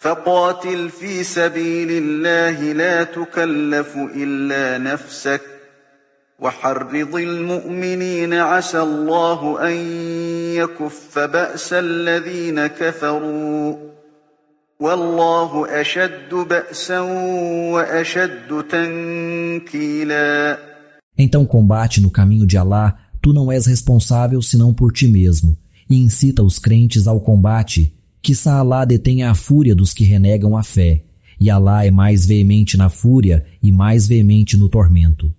فقاتل في سبيل الله لا تكلف إلا نفسك وحرض المؤمنين عسى الله أن يكف بأس الذين كفروا والله أشد بأسا وأشد تنكيلا. Então combate no caminho de Alá, tu não és responsável senão por ti mesmo, e incita os crentes ao combate, quiçá Alá detenha a fúria dos que renegam a fé, e Alá é mais veemente na fúria e mais veemente no tormento.